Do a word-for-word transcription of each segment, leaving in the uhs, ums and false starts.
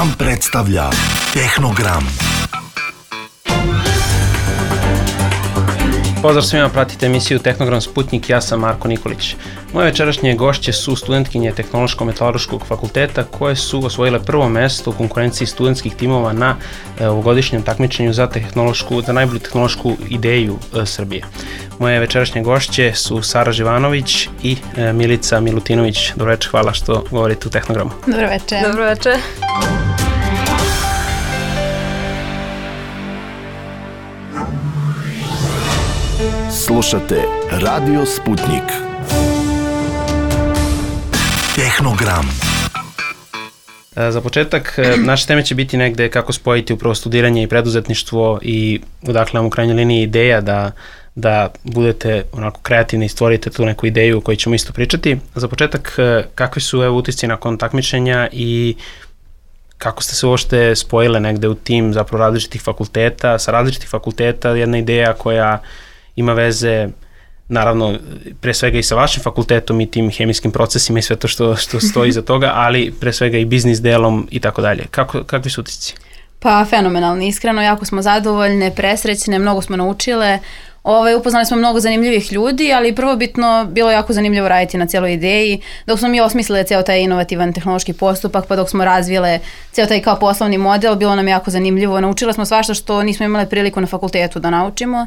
Vam predstavlja Tehnogram. Pozdrav svima, pratite emisiju Tehnogram Sputnik, ja sam Marko Nikolić. Moje večerašnje gošće su studentkinje Tehnološko-metalaruškog fakulteta koje su osvojile prvo mesto u konkurenciji studentskih timova na e, ovogodišnjem takmičenju za, tehnološku, za najbolju tehnološku ideju e, Srbije. Moje večerašnje gošće su Sara Živanović i e, Milica Milutinović. Dobro večer, hvala što govorite u Tehnogramu. Dobro večer. Dobro večer. Slušate Radio Sputnik. Tehnogram. Za početak, naše teme će biti negde kako spojiti upravo studiranje i preduzetništvo i odakle nam u krajnjoj liniji ideja da, da budete onako kreativni i stvorite tu neku ideju o kojoj ćemo isto pričati. Za početak, kakvi su evo utisci nakon takmičenja i kako ste se uopšte spojile negde u tim zapravo različitih fakulteta, sa različitih fakulteta, jedna ideja koja ima veze, naravno, pre svega i sa vašim fakultetom i tim hemijskim procesima i sve to što, što stoji iza toga, ali pre svega i biznis delom i tako dalje. Kako, kakvi su utisci? Pa fenomenalni, iskreno, jako smo zadovoljne, presrećne, mnogo smo naučile. Ove, upoznali smo mnogo zanimljivih ljudi, ali prvobitno bilo jako zanimljivo raditi na cijeloj ideji. Dok smo mi osmislile cijel taj inovativan tehnološki postupak, pa dok smo razvile cijel taj kao poslovni model, bilo nam jako zanimljivo. Naučile smo svašta što nismo imale priliku na fakultetu da naučimo.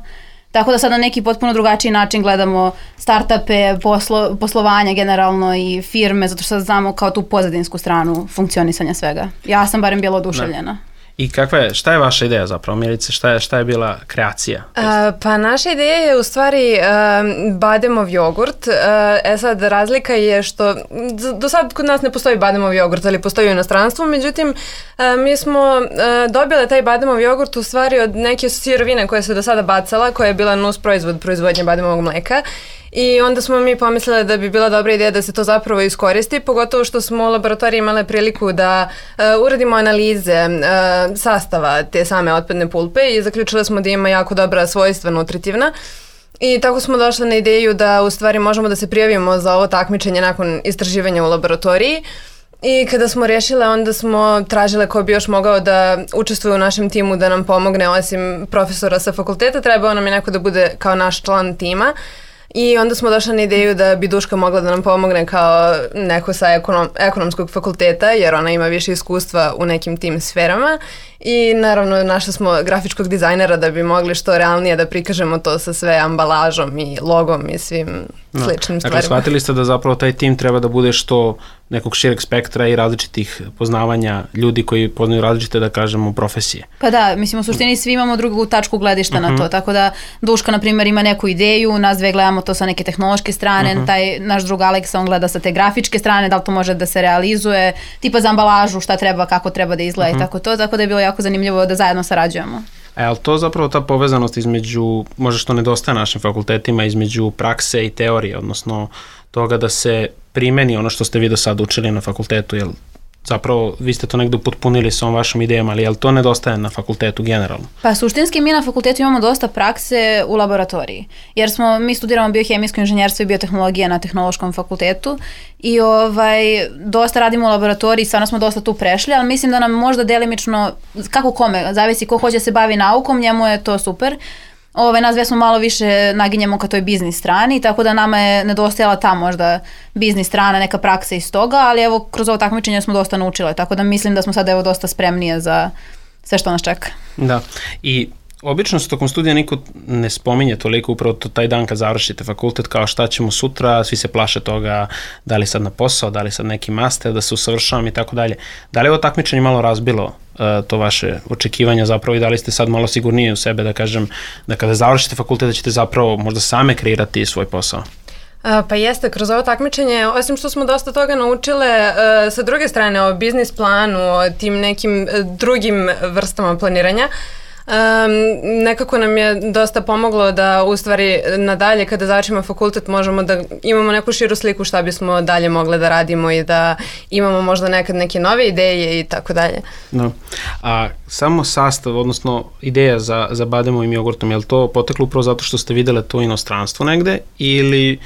Tako da sad na neki potpuno drugačiji način gledamo startupe, poslo, poslovanja generalno i firme, zato što sad znamo kao tu pozadinsku stranu funkcionisanja svega. Ja sam barem bila oduševljena. Da. I kakva je, šta je vaša ideja zapravo, Milice, šta je, šta je bila kreacija? Uh, pa naša ideja je u stvari uh, bademov jogurt. Uh, e sad, razlika je što do sad kod nas ne postoji bademov jogurt, ali postoji u inostranstvu, međutim uh, mi smo uh, dobile taj bademov jogurt u stvari od neke sirovine koje se do sada bacala, koja je bila nus proizvod proizvodnje bademovog mleka. I onda smo mi pomislili da bi bila dobra ideja da se to zapravo iskoristi, pogotovo što smo u laboratoriji imale priliku da uh, uradimo analize uh, sastava te same otpadne pulpe i zaključili smo da ima jako dobra svojstva nutritivna. I tako smo došli na ideju da u stvari možemo da se prijavimo za ovo takmičenje nakon istraživanja u laboratoriji. I kada smo rješile, onda smo tražile ko bi još mogao da učestvuje u našem timu, da nam pomogne, osim profesora sa fakulteta, trebao nam je neko da bude kao naš član tima. I onda smo došli na ideju da bi Duška mogla da nam pomogne kao neko sa ekonom, ekonomskog fakulteta, jer ona ima više iskustva u nekim tim sferama. I naravno našli smo grafičkog dizajnera da bi mogli što realnije da prikažemo to sa sve ambalažom i logom i svim no. sličnim stvarima. Dakle, shvatili ste da zapravo taj tim treba da bude što nekog šireg spektra i različitih poznavanja ljudi koji poznaju različite, da kažemo, profesije. Pa da, mislim, u suštini svi imamo drugu tačku gledišta uh-huh. na to, tako da Duška, na primjer, ima neku ideju, nas dve gledamo to sa neke tehnološke strane, uh-huh. taj naš drug Aleksa, on gleda sa te grafičke strane, da li to može da se realizuje, tipa za ambalažu, šta treba, kako treba da izgleda uh-huh. i tako to, tako da je bilo jako zanimljivo da zajedno sarađujemo. E, ali to zapravo ta povezanost između, možda što nedostaje našim fakultetima, između prakse i teorije, odnosno toga da se primeni ono što ste vi do sada učili na fakultetu, jel zapravo vi ste to negdje upotpunili sa ovom vašom idejama, ali jel to nedostaje na fakultetu generalno? Pa suštinski mi na fakultetu imamo dosta prakse u laboratoriji, jer smo, mi studiramo biohemijsko inženjerstvo i biotehnologija na tehnološkom fakultetu i ovaj, dosta radimo u laboratoriji, stvarno smo dosta tu prešli, ali mislim da nam možda delimično, kako kome, zavisi ko hoće se bavi naukom, njemu je to super. Ove, nas dve smo malo više naginjemo ka toj biznis strani, tako da nama je nedostajala ta možda biznis strana, neka praksa iz toga, ali evo kroz ovo takmičenje smo dosta naučile, tako da mislim da smo sad evo dosta spremnije za sve što nas čeka. Da, i obično se tokom studija niko ne spominje toliko upravo to taj dan kad završite fakultet kao šta ćemo sutra, svi se plaše toga da li sad na posao, da li sad neki master, da se usavršavam i tako dalje. Da li je ovo takmičenje malo razbilo uh, to vaše očekivanja zapravo i da li ste sad malo sigurnije u sebe da kažem da kada završite fakultet da ćete zapravo možda same kreirati svoj posao? Pa jeste, kroz ovo takmičenje, osim što smo dosta toga naučile, sa druge strane o biznis planu, o tim nekim drugim vrstama planiranja, Um, nekako nam je dosta pomoglo da u stvari nadalje kada završimo fakultet možemo da imamo neku širu sliku šta bismo dalje mogli da radimo i da imamo možda nekad neke nove ideje i tako dalje. No. A samo sastav, odnosno ideja za, za bademovim jogurtom, je li to poteklo upravo zato što ste vidjeli to inostranstvo negde ili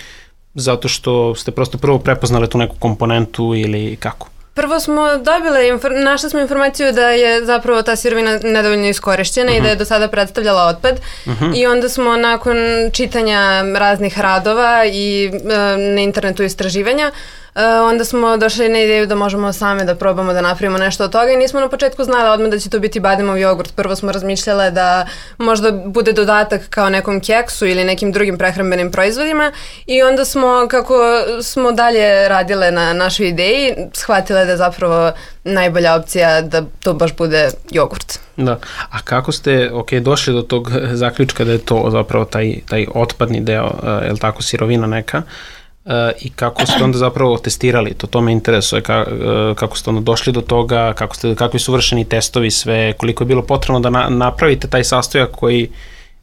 zato što ste prosto prvo prepoznali tu neku komponentu ili kako? prvo smo dobile, infor- našli smo informaciju da je zapravo ta sirovina nedovoljno iskorišćena uh-huh. i da je do sada predstavljala otpad uh-huh. i onda smo nakon čitanja raznih radova i e, na internetu istraživanja Uh, onda smo došli na ideju da možemo same da probamo da napravimo nešto od toga i nismo na početku znali odmah da će to biti bademov jogurt. Prvo smo razmišljale da možda bude dodatak kao nekom keksu ili nekim drugim prehrambenim proizvodima i onda smo, kako smo dalje radile na našoj ideji, shvatile da je zapravo najbolja opcija da to baš bude jogurt. Da, a kako ste ok, došli do tog zaključka da je to zapravo taj, taj otpadni deo, uh, je li tako, sirovina neka? Uh, i kako ste onda zapravo testirali, to, to me interesuje, ka, uh, kako ste onda došli do toga, kako ste, kakvi su vršeni testovi, sve, koliko je bilo potrebno da na, napravite taj sastojak koji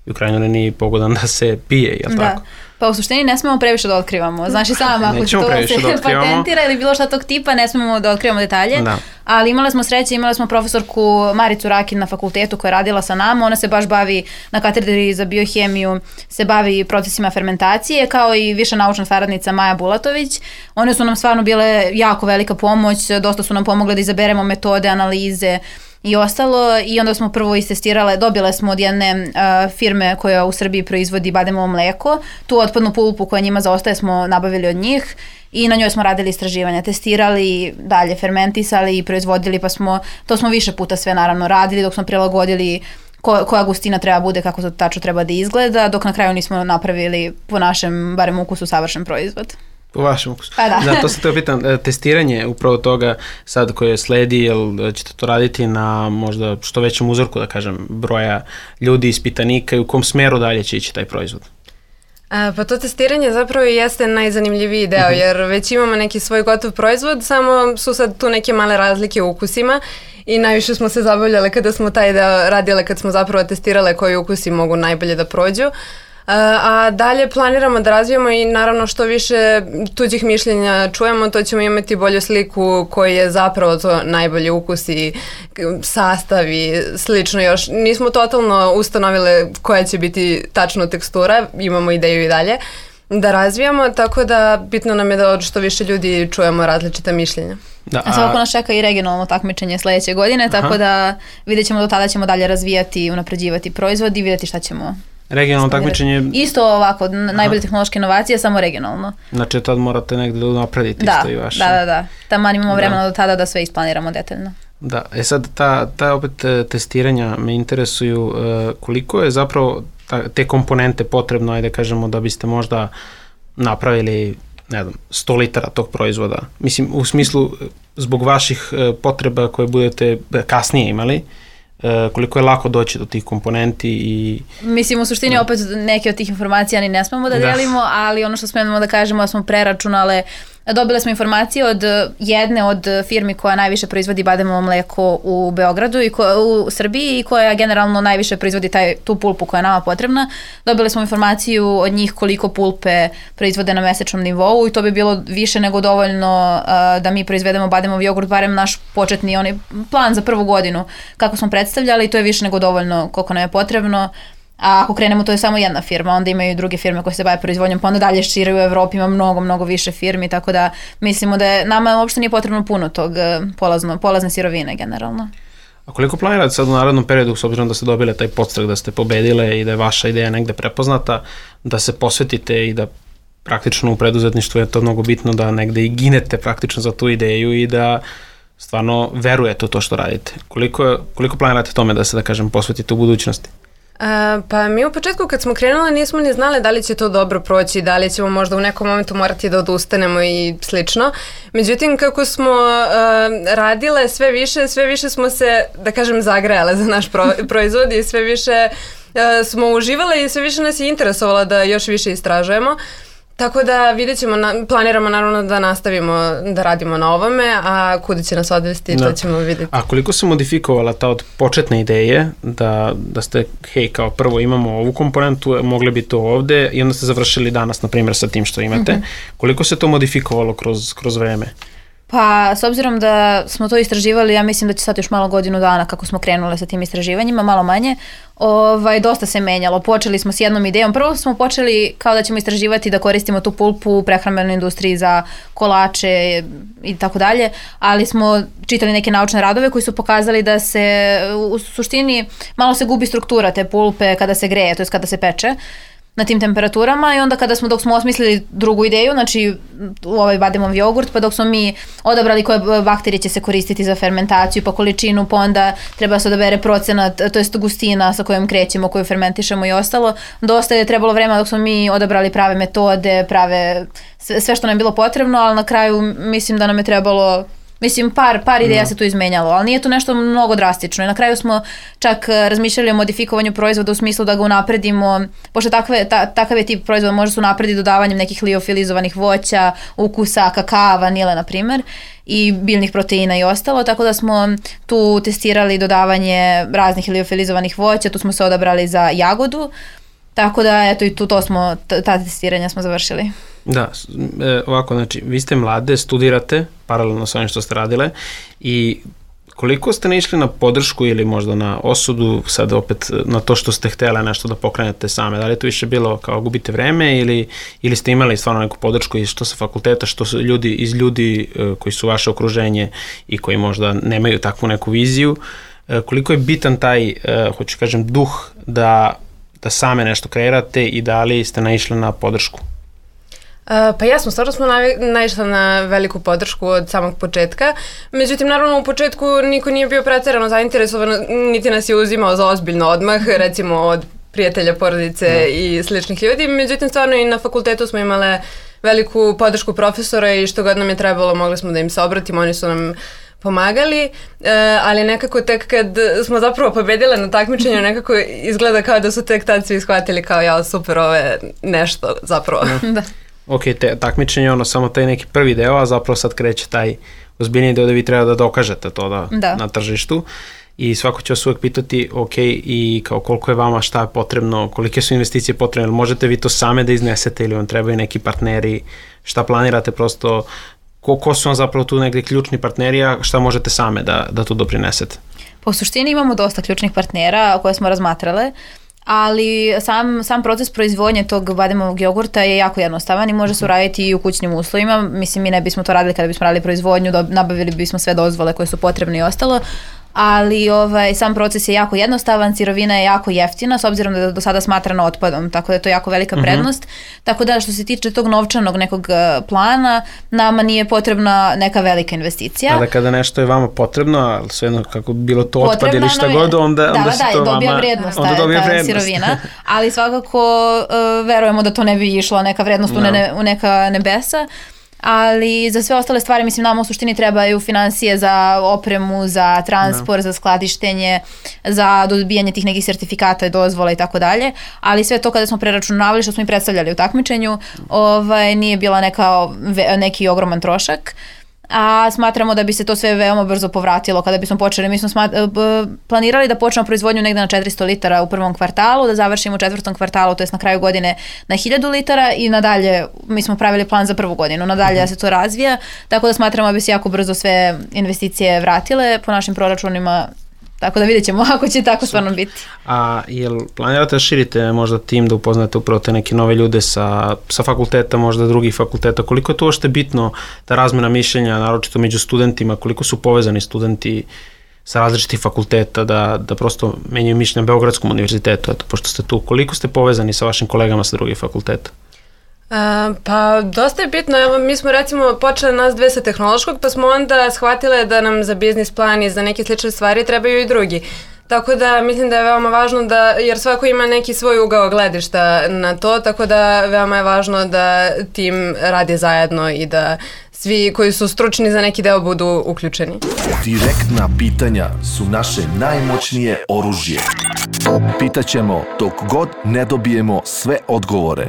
u krajnjoj liniji pogodan da se pije, je li da. tako? Pa u suštini ne smemo previše da otkrivamo. Znaš i sama, ako se to se patentira ili bilo šta tog tipa, ne smemo da otkrivamo detalje. Da. Ali imali smo sreće, imali smo profesorku Maricu Rakin na fakultetu koja je radila sa nama. Ona se baš bavi na katedri za biohemiju, se bavi procesima fermentacije, kao i viša naučna saradnica Maja Bulatović. One su nam stvarno bile jako velika pomoć, dosta su nam pomogle da izaberemo metode, analize i ostalo i onda smo prvo istestirale, dobile smo od jedne uh, firme koja u Srbiji proizvodi bademovo mleko, tu otpadnu pulpu koja njima zaostaje smo nabavili od njih i na njoj smo radili istraživanja, testirali, dalje fermentisali i proizvodili, pa smo, to smo više puta sve naravno radili dok smo prilagodili ko, koja gustina treba bude, kako to tačno treba da izgleda, dok na kraju nismo napravili po našem, barem ukusu, savršen proizvod. U vašem ukusu. Pa da. Da, to se te pitam, testiranje upravo toga sad koje sledi, jel ćete to raditi na možda što većem uzorku, da kažem, broja ljudi, ispitanika i u kom smeru dalje će ići taj proizvod? A, pa to testiranje zapravo jeste najzanimljiviji deo, uh-huh. jer već imamo neki svoj gotov proizvod, samo su sad tu neke male razlike u ukusima i najviše smo se zabavljale kada smo taj deo radile, kad smo zapravo testirale koji ukusi mogu najbolje da prođu. A dalje planiramo da razvijamo i naravno što više tuđih mišljenja čujemo, to ćemo imati bolju sliku koji je zapravo to najbolji ukus i sastav i slično još. Nismo totalno ustanovile koja će biti tačno tekstura, imamo ideju i dalje da razvijamo, tako da bitno nam je da od što više ljudi čujemo različita mišljenja. Da, a svako nas čeka i regionalno takmičenje sledeće godine, aha. tako da vidjet ćemo do tada ćemo dalje razvijati i unapređivati proizvod i vidjeti šta ćemo. Regionalno takmičenje... Isto ovako, najbolje tehnološke inovacije, samo regionalno. Znači tad morate negde da naprediti da, isto i vaše. Da, da, da. Taman imamo vremena da. do tada da sve isplaniramo detaljno. Da, e sad ta, ta opet testiranja me interesuju uh, koliko je zapravo ta, te komponente potrebno, ajde kažemo, da biste možda napravili, ne znam, sto litara tog proizvoda. Mislim, u smislu zbog vaših uh, potreba koje budete kasnije imali, Uh, koliko je lako doći do tih komponenti i... Mislim, u suštini da. opet neke od tih informacija ni ne smemo da delimo, da. ali ono što smemo da kažemo da smo preračunale, dobile smo informacije od jedne od firmi koja najviše proizvodi bademovo mleko u Beogradu i ko, u Srbiji i koja generalno najviše proizvodi taj, tu pulpu koja je nama potrebna. Dobile smo informaciju od njih koliko pulpe proizvode na mesečnom nivou i to bi bilo više nego dovoljno uh, da mi proizvedemo bademov jogurt, barem naš početni onaj plan za prvu godinu kako smo predstavljali, to je više nego dovoljno koliko nam je potrebno. A ako krenemo, to je samo jedna firma, onda imaju i druge firme koje se bave proizvodnjom, pa onda dalje šire u Evropi ima mnogo, mnogo više firmi, tako da mislimo da je, nama uopšte nije potrebno puno tog polazno, polazne sirovine generalno. A koliko planirate sad u narednom periodu, s obzirom da ste dobile taj podstrek, da ste pobedile i da je vaša ideja negde prepoznata, da se posvetite i da praktično u preduzetništvu je to mnogo bitno da negde i ginete praktično za tu ideju i da stvarno verujete u to što radite. Koliko, koliko planirate tome da se, da kažem, posvetite u budućnosti? A, pa mi u početku kad smo krenuli nismo ni znali da li će to dobro proći, da li ćemo možda u nekom momentu morati da odustanemo i slično. Međutim, kako smo a, radile sve više, sve više smo se, da kažem, zagrejale za naš pro, proizvod i sve više a, smo uživale i sve više nas je interesovalo da još više istražujemo. Tako da vidjet ćemo, planiramo naravno da nastavimo da radimo na ovome, a kuda će nas odvesti, to ćemo vidjeti. A koliko se modifikovala ta od početne ideje, da, da ste, hej, kao prvo imamo ovu komponentu, mogli bi to ovde i onda ste završili danas, na primjer, sa tim što imate. Mm-hmm. Koliko se to modifikovalo kroz, kroz vreme? Pa, s obzirom da smo to istraživali, ja mislim da će sad još malo godinu dana kako smo krenule sa tim istraživanjima, malo manje, ovaj, dosta se menjalo. Počeli smo s jednom idejom. Prvo smo počeli kao da ćemo istraživati da koristimo tu pulpu u prehrambenoj industriji za kolače i tako dalje, ali smo čitali neke naučne radove koji su pokazali da se u suštini malo se gubi struktura te pulpe kada se greje, to jest kada se peče na tim temperaturama i onda kada smo, dok smo osmislili drugu ideju, znači ovaj bademov jogurt, pa dok smo mi odabrali koje bakterije će se koristiti za fermentaciju, pa količinu, pa onda treba se odabere procenat, to jest gustina sa kojom krećemo, koju fermentišemo i ostalo. Dosta je trebalo vremena dok smo mi odabrali prave metode, prave sve, sve što nam je bilo potrebno, ali na kraju mislim da nam je trebalo Mislim, par, par ideja no. se tu izmenjalo, ali nije to nešto mnogo drastično. I na kraju smo čak razmišljali o modifikovanju proizvoda u smislu da ga unapredimo, pošto takve, ta, takav je tip proizvoda može se unaprediti dodavanjem nekih liofilizovanih voća, ukusa, kakava, vanile, na primjer, i biljnih proteina i ostalo, tako da smo tu testirali dodavanje raznih liofilizovanih voća, tu smo se odabrali za jagodu, tako da eto i tu to smo, ta testiranja smo završili. Da, e, ovako, znači, vi ste mlade, studirate paralelno sa ovim što ste radile i koliko ste naišli na podršku ili možda na osudu, sad opet na to što ste htjeli nešto da pokrenete same, da li je to više bilo kao gubite vreme ili, ili ste imali stvarno neku podršku i što sa fakulteta, što su ljudi iz ljudi e, koji su vaše okruženje i koji možda nemaju takvu neku viziju, e, koliko je bitan taj, e, hoću kažem, duh da, da same nešto kreirate i da li ste naišli na podršku? Uh, pa jasno, stvarno smo naišli na veliku podršku od samog početka, međutim naravno u početku niko nije bio preterano zainteresovan, niti nas je uzimao za ozbiljno odmah, recimo od prijatelja, porodice no. i sličnih ljudi, međutim stvarno i na fakultetu smo imale veliku podršku profesora i što god nam je trebalo mogli smo da im se obratimo, oni su nam pomagali, uh, ali nekako tek kad smo zapravo pobedile na takmičenju, nekako izgleda kao da su tek tad svi shvatili kao ja super, ovo je nešto zapravo. No. da. Ok, te, takmičenje ono samo taj neki prvi deo, a zapravo sad kreće taj ozbiljniji deo da vi treba da dokažete to da, da. na tržištu i svako će vas uvek pitati ok, i kao koliko je vama, šta je potrebno, kolike su investicije potrebne, možete vi to same da iznesete ili vam trebaju neki partneri, šta planirate prosto, ko, ko su vam zapravo tu negdje ključni partneri, a šta možete same da, da tu doprinesete? Po suštini imamo dosta ključnih partnera koje smo razmatrale, ali sam, sam proces proizvodnje tog bademovog jogurta je jako jednostavan i može se uraditi i u kućnim uslovima. Mislim, mi ne bismo to radili kada bismo radili proizvodnju, nabavili bismo sve dozvole koje su potrebne i ostalo, ali ovaj, sam proces je jako jednostavan, sirovina je jako jeftina, s obzirom da je do sada smatrana otpadom, tako da je to jako velika prednost. Uh-huh. Tako da što se tiče tog novčanog nekog plana, nama nije potrebna neka velika investicija. A da kada nešto je vama potrebno, ali svejedno kako bi bilo to otpad ili šta god, onda, da, onda se da, to vama... dobija vrednost, onda ta, dobija ta vrednost. sirovina, ali svakako uh, verujemo da to ne bi išlo neka vrednost no. u, ne, u neka nebesa. Ali za sve ostale stvari, mislim, nama u suštini trebaju financije za opremu, za transport, no. za skladištenje, za dobijanje tih nekih sertifikata i dozvola i tako dalje, ali sve to kada smo preračunavali što smo i predstavljali u takmičenju, ovaj, nije bila neka, neki ogroman trošak. A smatramo da bi se to sve veoma brzo povratilo kada bismo počeli. Mi smo smat- planirali da počnemo proizvodnju negde na četiristo litara u prvom kvartalu, da završimo u četvrtom kvartalu, to jest na kraju godine na hiljadu litara i nadalje, mi smo pravili plan za prvu godinu, nadalje da se to razvija, tako da smatramo da bi se jako brzo sve investicije vratile po našim proračunima. Tako da vidjet ćemo ako će tako stvarno biti. A jel planirate da širite možda tim, da upoznate upravo te neke nove ljude sa, sa fakulteta, možda drugih fakulteta? Koliko je to ošte bitno, ta razmjena mišljenja, naročito među studentima, koliko su povezani studenti sa različitih fakulteta, da, da prosto menjaju mišljenja na Beogradskom univerzitetu, eto, pošto ste tu, koliko ste povezani sa vašim kolegama sa drugih fakulteta? Uh, pa dosta je bitno, evo mi smo recimo počeli nas dve sa tehnološkog, pa smo onda shvatile da nam za biznis plan i za neke slične stvari trebaju i drugi. Tako da mislim da je veoma važno da, jer svako ima neki svoj ugao gledišta na to, tako da veoma je važno da tim radi zajedno i da svi koji su stručni za neki deo budu uključeni. Direktna pitanja su naše najmoćnije oružje. Pitaćemo dok god ne dobijemo sve odgovore.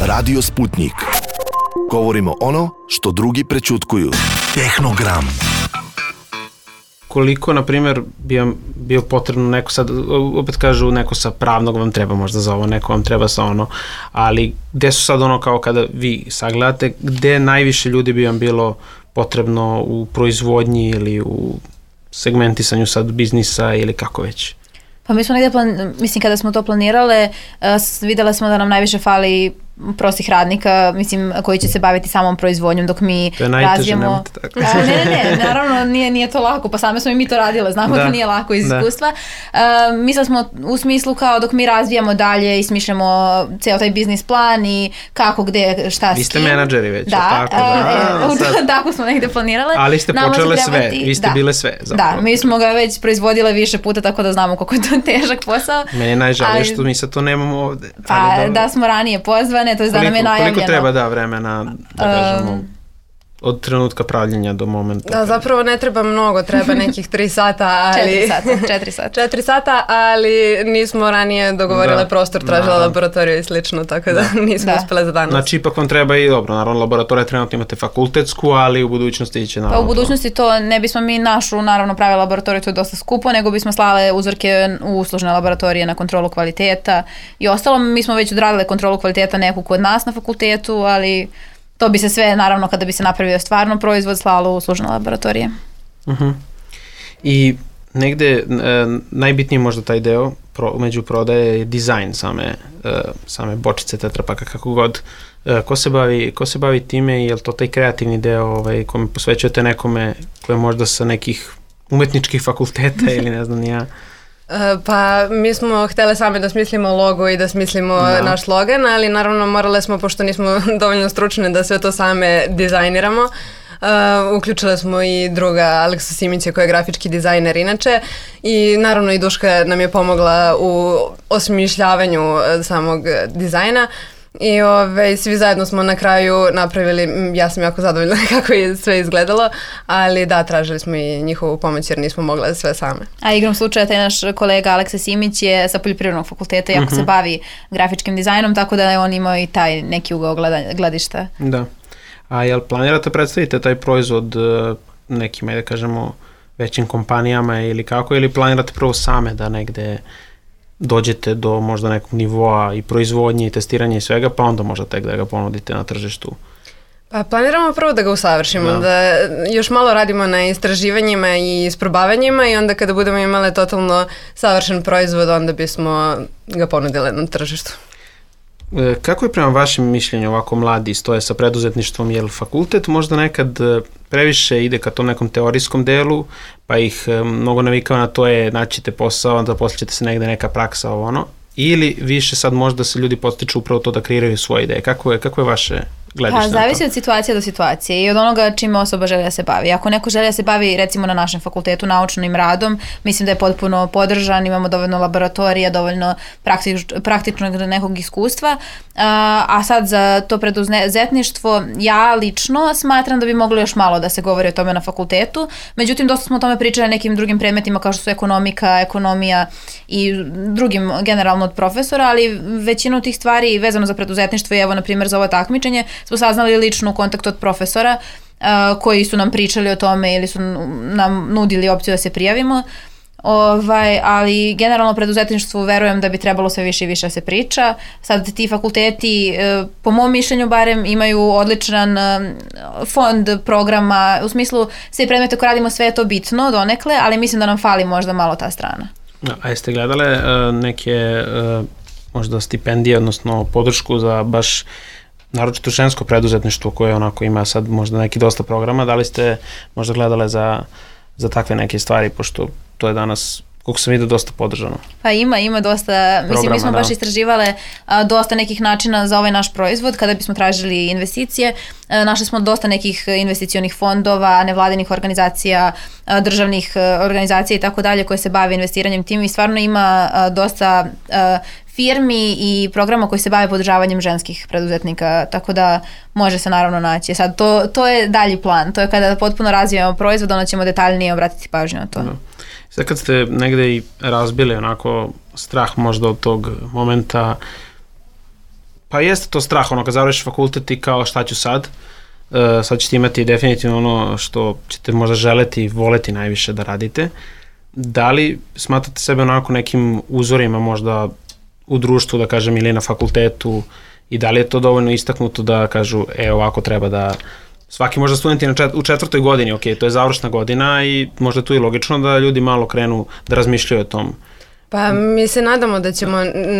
Radio Sputnik. Govorimo ono što drugi prećutkuju. Tehnogram. koliko, na primjer, bi vam bio potrebno neko sad, opet kažu neko sa pravnog vam treba možda za ovo, neko vam treba sa ono, ali gde su sad ono kao kada vi sagledate, gde najviše ljudi bi vam bilo potrebno u proizvodnji ili u segmentisanju sad biznisa ili kako već? Pa mi smo negdje, plan, mislim kada smo to planirale, uh, vidjela smo da nam najviše fali prostih radnika, mislim, koji će se baviti samom proizvodnjom dok mi to je najteže, razvijemo... nemojte tako. A, ne, ne, ne, naravno nije, nije to lako, pa same smo i mi to radile, znamo da, da nije lako iz iskustva. Uh, mislili smo u smislu kao dok mi razvijamo dalje i smišljamo ceo taj biznis plan i kako, gde, šta, s kim. Vi ste menadžeri već, da, tako da. Uh, e, tako smo negdje planirale. Ali ste počele sve, vi ste da, bile sve. Zapravo. Da, mi smo ga već proizvodile više puta, tako da znamo koliko je to težak posao. Meni je najžalije što mi sad to nemamo ovde. Pa da, da smo ranije pozvane, to je da nam je najavljeno. Koliko treba da vremena, da kažemo, um, od trenutka pravljenja do momenta? Da, zapravo ne treba mnogo, treba nekih tri sata, ali... Četiri sata, četiri sata. Četiri sata, ali nismo ranije dogovorile da, prostor, tražila da, laboratoriju i slično, tako da, da nismo da. uspjele za danas. Znači, ipak vam treba i dobro, naravno, laboratorija trenutno imate fakultetsku, ali u budućnosti će naravno... Pa u budućnosti to ne bismo mi našu, naravno, pravili laboratoriju, to je dosta skupo, nego bismo slale uzorke u uslužne laboratorije na kontrolu kvaliteta i ostalo. Mi smo već odradile kontrolu kvaliteta neku kod nas na fakultetu, ali... To bi se sve, naravno, kada bi se napravio stvarno proizvod, slalo u služne laboratorije. Uh-huh. I negde e, najbitniji možda taj deo pro, među prodaje je dizajn same, e, same bočice, tetrapaka, kako god. E, ko, se bavi, ko se bavi time i je li to taj kreativni deo ovaj, kome posvećujete nekome koje možda sa nekih umetničkih fakulteta ili ne znam ni ja? Pa mi smo htjeli sami da smislimo logo i da smislimo da. naš slogan, ali naravno morale smo, pošto nismo dovoljno stručne da sve to same dizajniramo, uh, uključile smo i druga Aleksu Simića koja je grafički dizajner inače i naravno i Duška nam je pomogla u osmišljavanju samog dizajna. I ove, svi zajedno smo na kraju napravili, ja sam jako zadovoljna kako je sve izgledalo, ali da, tražili smo i njihovu pomoć jer nismo mogli sve same. A igrom slučaja, taj naš kolega Aleksa Simić je sa poljoprivrednog fakulteta, jako mm-hmm. se bavi grafičkim dizajnom, tako da je on imao i taj neki ugao gledišta. Da. A jel planirate predstavite taj proizvod nekim, da kažemo, većim kompanijama ili kako, ili planirate prvo same da negde dođete do možda nekog nivoa i proizvodnje i testiranja i svega, pa onda možda tek da ga ponudite na tržištu? Pa planiramo prvo da ga usavršimo, da. da još malo radimo na istraživanjima i isprobavanjima i onda kada budemo imali totalno savršen proizvod, onda bismo ga ponudili na tržištu. Kako je prema vašem mišljenju ovako mladi stoje sa preduzetništvom, jer fakultet možda nekad previše ide ka tom nekom teorijskom delu, pa ih mnogo navikava na to je naćete posao, onda poslije ćete se negde neka praksa ovo ono, ili više sad možda se ljudi postiču upravo to da kreiraju svoje ideje. Kako je, kako je vaše gledište? Pa zavisi od situacije do situacije i od onoga čime osoba želi da se bavi. Ako neko želi da se bavi recimo na našem fakultetu naučnim radom, mislim da je potpuno podržan, imamo dovoljno laboratorija, dovoljno praktič, praktičnog nekog iskustva, a, a sad za to preduzetništvo ja lično smatram da bi moglo još malo da se govori o tome na fakultetu, međutim dosta smo o tome pričali nekim drugim predmetima kao što su ekonomika, ekonomija i drugim generalno od profesora, ali većinu tih stvari vezano za preduzetništvo i evo na primjer za ovo takmičenje smo saznali lično u kontaktu od profesora uh, koji su nam pričali o tome ili su nam nudili opciju da se prijavimo. Ovaj, ali generalno preduzetništvu verujem da bi trebalo sve više i više da se priča. Sad ti fakulteti, po mom mišljenju barem, imaju odličan fond programa, u smislu sve predmete koje radimo, sve je to bitno donekle, ali mislim da nam fali možda malo ta strana. A jeste gledale uh, neke uh, možda stipendije, odnosno podršku za baš naročito žensko preduzetništvo koje onako ima sad možda neki dosta programa, da li ste možda gledale za, za takve neke stvari, pošto to je danas, koliko sam vidio, dosta podržano? Pa ima, ima dosta, programa, mislim mi smo da. baš istraživale a, dosta nekih načina za ovaj naš proizvod, kada bismo tražili investicije, a, našli smo dosta nekih investicionih fondova, nevladinih organizacija, a, državnih a, organizacija i tako dalje koje se bave investiranjem tim i stvarno ima a, dosta a, firmi i programa koji se bave podržavanjem ženskih preduzetnika, tako da može se naravno naći. Sad, to, to je dalji plan, to je kada potpuno razvijamo proizvod, onda ćemo detaljnije obratiti pažnju na to. Da. Sad kad ste negde i razbili onako strah možda od tog momenta, pa jeste to strah, ono kad završiš fakultet i kao šta ću sad, sad ćete imati definitivno ono što ćete možda želeti i voleti najviše da radite. Da li smatrate sebe onako nekim uzorima možda u društvu, da kažem, ili na fakultetu, i da li je to dovoljno istaknuto da kažu, e, ovako treba da svaki možda studenti na čet, u četvrtoj godini, ok, to je završna godina i možda je tu i logično da ljudi malo krenu da razmišljaju o tom. Pa mi se nadamo da ćemo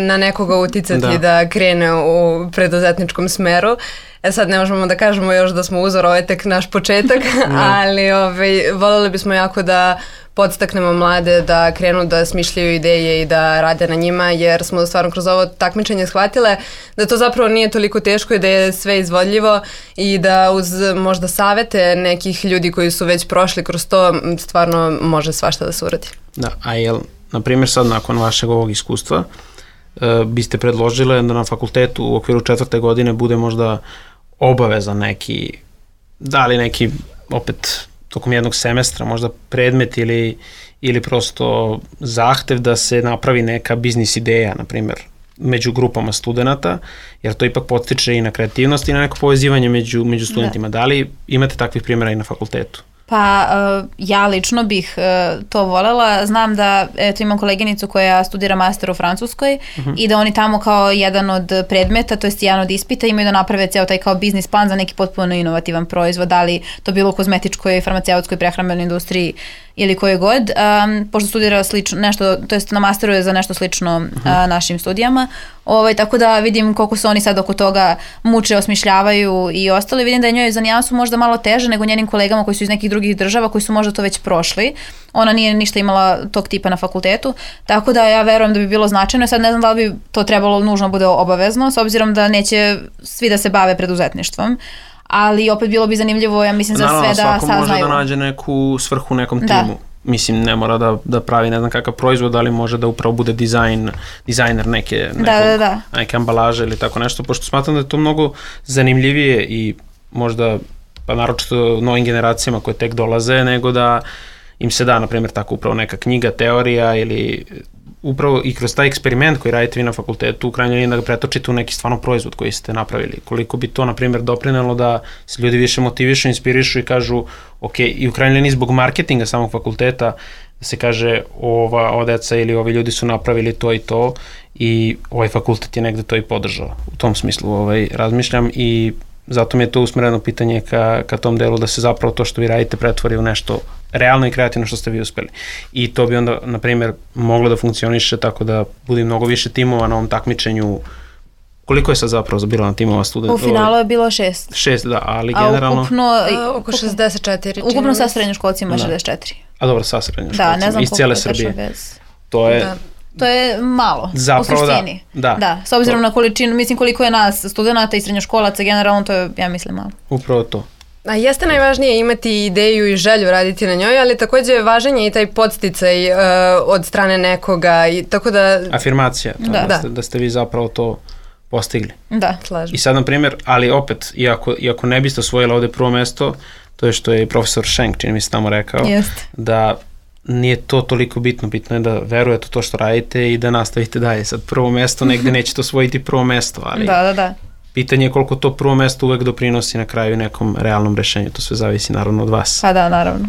na nekoga uticati da, da krene u preduzetničkom smeru. E sad ne možemo da kažemo još da smo uzor, ovo je tek naš početak, ali ovaj, voljeli bismo jako da podstaknemo mlade da krenu da smišljaju ideje i da rade na njima, jer smo stvarno kroz ovo takmičenje shvatile da to zapravo nije toliko teško i da je sve izvodljivo i da uz možda savete nekih ljudi koji su već prošli kroz to stvarno može svašta da se uradi. Da, a jel, na primjer sad nakon vašeg ovog iskustva e, biste predložile da na fakultetu u okviru četvrte godine bude možda obavezan neki, da li neki opet tokom jednog semestra, možda predmet ili, ili prosto zahtev da se napravi neka biznis ideja, na primjer, među grupama studenta, jer to ipak podstiče i na kreativnost i na neko povezivanje među, među studentima. Da. da li imate takvih primjera i na fakultetu? Pa uh, ja lično bih uh, to voljela. Znam da eto, imam koleginicu koja studira master u Francuskoj uh-huh. i da oni tamo kao jedan od predmeta, to jest jedan od ispita, imaju da naprave ceo taj kao biznis plan za neki potpuno inovativan proizvod, da li to bilo u kozmetičkoj, farmaceutskoj, prehrambenoj industriji ili koje god, um, pošto studira slično, nešto, to jest na masteru je za nešto slično uh-huh. uh, našim studijama, ovaj, tako da vidim koliko se oni sad oko toga muče, osmišljavaju i ostali. Vidim da je njoj za nijansu možda malo teže nego njenim kolegama koji su iz nekih drugih država, koji su možda to već prošli. Ona nije ništa imala tog tipa na fakultetu, tako da ja verujem da bi bilo značajno. Sad ne znam da li bi to trebalo nužno bude obavezno, s obzirom da neće svi da se bave preduzetništvom, ali opet bilo bi zanimljivo, ja mislim, za sve da saznaju. Naravno, svako može da nađe neku svrhu u nekom da. timu. Mislim, ne mora da, da pravi ne znam kakav proizvod, ali može da upravo bude dizajn, dizajner neke, nekog, da, da, da. neke ambalaže ili tako nešto, pošto smatram da je to mnogo zanimljivije i možda, pa naročito novim generacijama koje tek dolaze, nego da im se da, na primjer, tako upravo neka knjiga, teorija ili upravo i kroz taj eksperiment koji radite vi na fakultetu, u krajnjoj liniji da ga pretočite u neki stvarno proizvod koji ste napravili. Koliko bi to, na primjer, doprinelo da se ljudi više motivišu, inspirišu i kažu, ok, i u krajnjoj liniji zbog marketinga samog fakulteta, da se kaže, ova, ova deca ili ovi ljudi su napravili to i to i ovaj fakultet je negde to i podržao. U tom smislu ovaj, razmišljam i zato mi je to usmereno pitanje ka, ka tom delu da se zapravo to što vi radite pretvori u nešto realno i kreativno što ste vi uspeli. I to bi onda, na primjer, moglo da funkcioniše tako da bude mnogo više timova na ovom takmičenju. Koliko je sad zapravo bilo na timova studenta? U finalu je bilo šest. Šest, da, ali generalno... A ukupno... A, oko šezdeset četiri. Ukupno sa srednjoškolcima šezdeset četiri. A dobro, sa srednjoškolcima. Da, ne znam iz cijele Srbije. Bez... To je... Da. To je malo, zapravo, u suštini. Da, da, da, s obzirom to. na količinu, mislim koliko je nas studenta i srednjoškolaca, generalno to je, ja mislim, malo. Upravo to. A jeste najvažnije imati ideju i želju raditi na njoj, ali takođe važan je i taj podsticaj uh, od strane nekoga. I, tako da... Afirmacija, to, da. Da, ste, da ste vi zapravo to postigli. Da, slažem. I sad, na primjer, ali opet, iako, iako ne biste osvojili ovde prvo mesto, to je što je i profesor Schenk, čini mi se tamo rekao, Jest. da nije to toliko bitno, bitno je da verujete u to što radite i da nastavite dalje. Sad prvo mesto, negde nećete osvojiti prvo mesto, ali da, da, da. pitanje je koliko to prvo mesto uvek doprinosi na kraju nekom realnom rešenju, to sve zavisi naravno od vas. Pa da, naravno.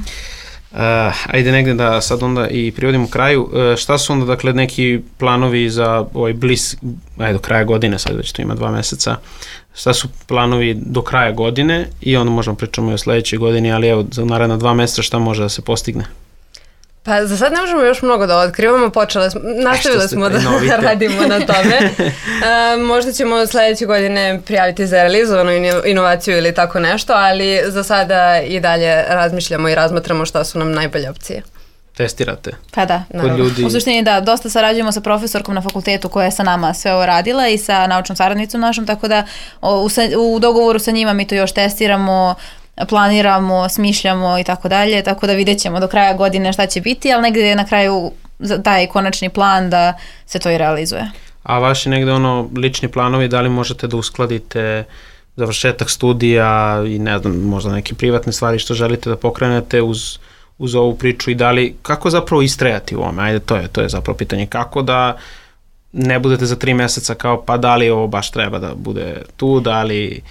Uh, ajde negde da sad onda i privodimo kraju. Uh, šta su onda dakle neki planovi za ovaj bliz, ajde do kraja godine, sad već to ima dva meseca, šta su planovi do kraja godine i onda možemo pričamo i o sledećoj godini, ali evo za naredna dva meseca šta može da se postigne? Pa za sad ne možemo još mnogo da otkrivamo, počele smo, nastavili smo da radimo na tome. E, možda ćemo sledeće godine prijaviti za realizovanu inovaciju ili tako nešto, ali za sada i dalje razmišljamo i razmatramo šta su nam najbolje opcije. Testirate? Pa da, kod ljudi... u suštini da, dosta sarađujemo sa profesorkom na fakultetu koja je sa nama sve ovo radila i sa naučnom saradnicom našom, tako da u, u dogovoru sa njima mi to još testiramo, planiramo, smišljamo i tako dalje, tako da vidjet ćemo do kraja godine šta će biti, ali negdje je na kraju taj konačni plan da se to i realizuje. A vaši negde ono lični planovi, da li možete da uskladite završetak studija i ne znam, možda neke privatne stvari što želite da pokrenete uz, uz ovu priču i da li, kako zapravo istrajati u ovome? Ajde, to je, to je zapravo pitanje. Kako da ne budete za tri meseca kao pa da li ovo baš treba da bude tu, da li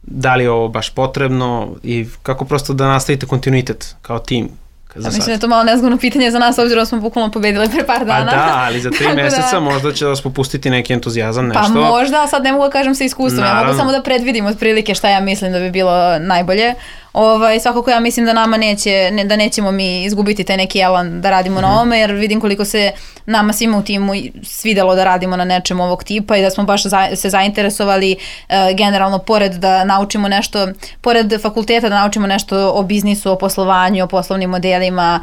da li je ovo baš potrebno i kako prosto da nastavite kontinuitet kao tim. Ja, mislim da je to malo nezgodno pitanje za nas, obzirom da smo bukvalno pobedili pre par dana. Pa da, ali za tri meseca da... možda će vas popustiti neki entuzijazam, nešto. Pa možda, ali sad ne mogu da kažem sa iskustvom, naravno. Ja mogu samo da predvidim otprilike šta ja mislim da bi bilo najbolje. Ovaj, svakako ja mislim da nama neće, ne, da nećemo mi izgubiti taj neki elan da radimo mm-hmm. na ovome, jer vidim koliko se nama svima u timu svidelo da radimo na nečem ovog tipa i da smo baš za, se zainteresovali e, generalno pored da naučimo nešto, pored fakulteta da naučimo nešto o biznisu, o poslovanju, o poslovnim modelima,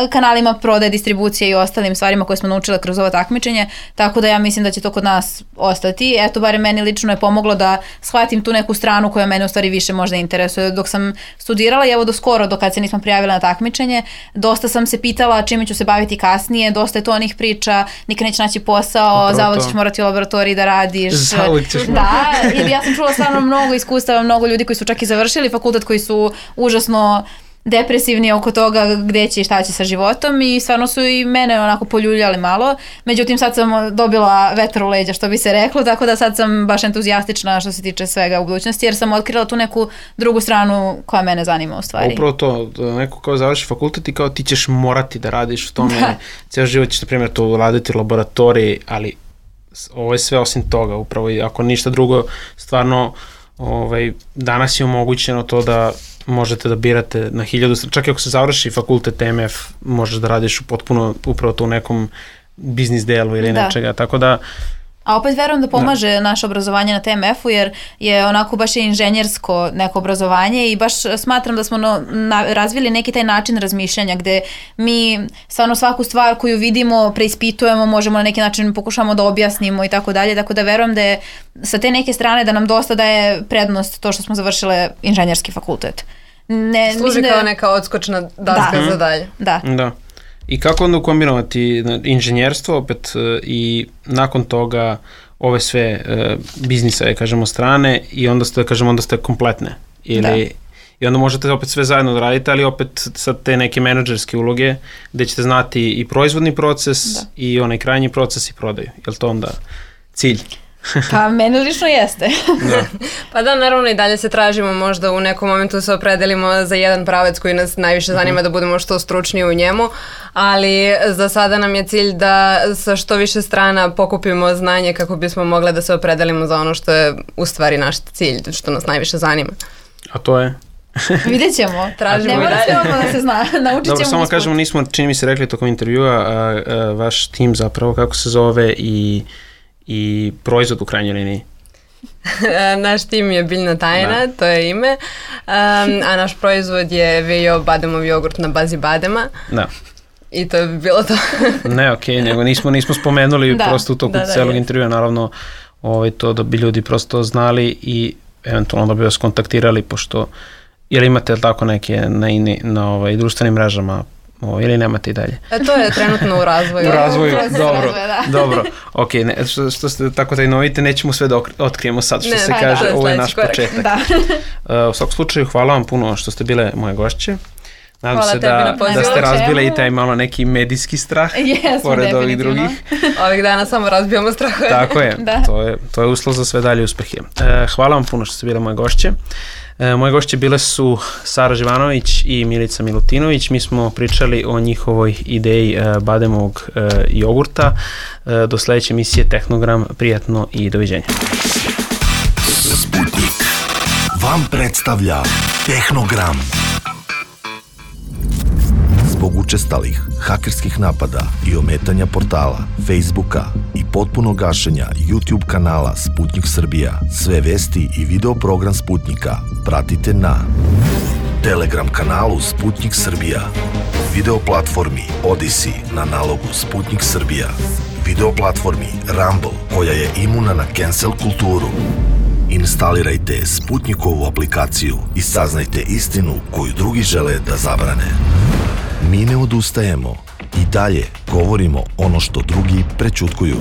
kanalima prodaje, distribucije i ostalim stvarima koje smo naučile kroz ovo takmičenje, tako da ja mislim da će to kod nas ostati. Eto, bare meni lično je pomoglo da shvatim tu neku stranu koja mene u stvari više možda interesuje. Dok sam studirala i evo do skoro, dok kad se nisam prijavila na takmičenje, dosta sam se pitala čime ću se baviti kasnije, dosta je to onih priča, nikad neće naći posao, zavod ćeš morati u laboratoriji da radiš. Zavod ćeš Da, ili ja sam čula stvarno mnogo iskustava, mnogo ljudi koji su čak i završili fakultet, koji su užasno depresivni oko toga gde će i šta će sa životom i stvarno su i mene onako poljuljali malo. Međutim, sad sam dobila vetar u leđa, što bi se reklo, tako da sad sam baš entuzijastična što se tiče svega u budućnosti, jer sam otkrila tu neku drugu stranu koja mene zanima u stvari. Upravo to, neko kao završi fakultet i kao ti ćeš morati da radiš u tome, da. Cijel život ćeš, na primjer, to raditi u laboratoriji, ali ovo je sve osim toga, upravo i ako ništa drugo, stvarno ovaj, danas je omogućeno to da možete da birate na hiljadu, čak i ako se završi fakultet M F, možeš da radiš potpuno upravo to u nekom biznis delu ili da. Nečega, tako da... A opet verujem da pomaže da. Naše obrazovanje na T M F-u, jer je onako baš je inženjersko neko obrazovanje i baš smatram da smo no, na, razvili neki taj način razmišljanja gde mi stvarno svaku stvar koju vidimo, preispitujemo, možemo na neki način pokušamo da objasnimo i tako dalje, tako da verujem da je sa te neke strane da nam dosta daje prednost to što smo završile inženjerski fakultet. Ne, služi kao da... neka odskočna daska da. Za dalje. Da. Da. I kako onda ukombinovati inženjerstvo opet i nakon toga ove sve uh, biznise, kažemo, strane i onda ste, kažemo, onda ste kompletne. Ili, da. I onda možete opet sve zajedno da radite, ali opet sa te neke menadžerske uloge gde ćete znati i proizvodni proces da. I onaj krajnji proces i prodaju. Je li to onda cilj? Pa meni lično jeste. Da. Pa da, naravno i dalje se tražimo, možda u nekom momentu se opredelimo za jedan pravac koji nas najviše zanima, uh-huh. da budemo što stručniji u njemu, ali za sada nam je cilj da sa što više strana pokupimo znanje kako bismo mogli da se opredelimo za ono što je u stvari naš cilj, što nas najviše zanima. A to je? Vidjet ćemo. Tražimo ne mora sve odmah da se zna. Naučit ćemo. Dobro, samo usput. Kažemo, nismo, čini mi se rekli tokom intervjua, a, a, vaš tim zapravo, kako se zove i i proizvod u krajnjoj liniji? Naš tim je Biljna tajna, da. To je ime, um, a naš proizvod je V O bademov jogurt na bazi badema. Da. I to bi bilo to. Ne, okej, okay, nego nismo, nismo spomenuli da, prosto u toku da, da, celog je. Intervjua, naravno ovaj, to da bi ljudi prosto znali i eventualno da bi vas kontaktirali, pošto ili imate tako neke na, na, na ovaj, društvenim mrežama O, ili nemate i dalje? E, to je trenutno u razvoju. U razvoju, dobro, dobro. Ok, ne, što, što ste tako tajnovite, nećemo sve da otkrijemo sad, što ne, se kaže, da, ovo je naš korak. Početak. Da. Uh, u svakom slučaju, hvala vam puno što ste bile moje gošće. Nadam hvala se da, da ste razbile i taj malo neki medijski strah, yes, pored ovih drugih. Ovih dana samo razbijamo strahove. Tako je, da. to je, to je uslov za sve dalje uspehe. Uh, hvala vam puno što ste bile moje gošće. E, moje gošće bile su Sara Živanović i Milica Milutinović. Mi smo pričali o njihovoj ideji e, bademovog e, jogurta. E, do sledeće emisije Tehnogram. Prijatno i doviđenja. Sputnik vam predstavlja Tehnogram. Zbog učestalih hakerskih napada i ometanja portala, Facebooka i potpuno gašenja YouTube kanala Sputnik Srbija, sve vesti i video program Sputnika pratite na Telegram kanalu Sputnik Srbija, video platformi Odyssey na nalogu Sputnik Srbija, video platformi Rumble koja je imuna na cancel kulturu. Instalirajte Sputnikovu aplikaciju i saznajte istinu koju drugi žele da zabrane. Mi ne odustajemo i dalje govorimo ono što drugi prećutkuju.